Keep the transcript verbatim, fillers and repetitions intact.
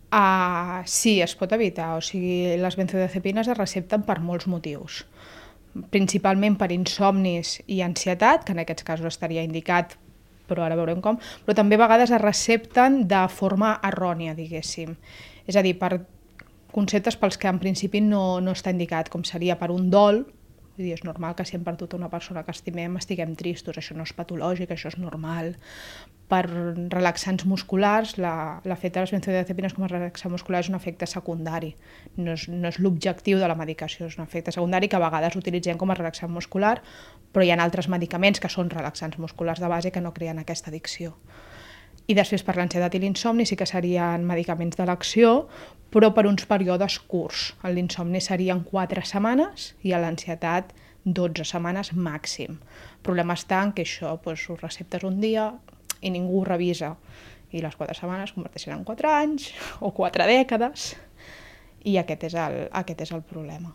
Uh, sí, es pot evitar. O sigui, les benzodiazepines es recepten per molts motius. Principalment per insomnis i ansietat, que en aquests casos estaria indicat, però ara veurem com, però també a vegades es recepten de forma errònia, diguéssim. És a dir, per conceptes pels que en principi no, no està indicat, com seria per un dol. Vull dir, és normal que si hem perdut una persona que estimem estiguem tristos, això no és patològic, això és normal. Per relaxants musculars, l'efecte de les benzodiazepines com a relaxant muscular és un efecte secundari, no és, no és l'objectiu de la medicació, és un efecte secundari que a vegades utilitzem com a relaxant muscular, però hi ha altres medicaments que són relaxants musculars de base que no creen aquesta addicció. I després per l'ansietat i l'insomni sí que serien medicaments d'elecció, però per uns períodes curts. L'insomni serien quatre setmanes i a l'ansietat dotze setmanes màxim. El problema està en que això doncs, ho receptes un dia i ningú ho revisa. I les quatre setmanes converteixen en quatre anys o quatre dècades i aquest és el, aquest és el problema.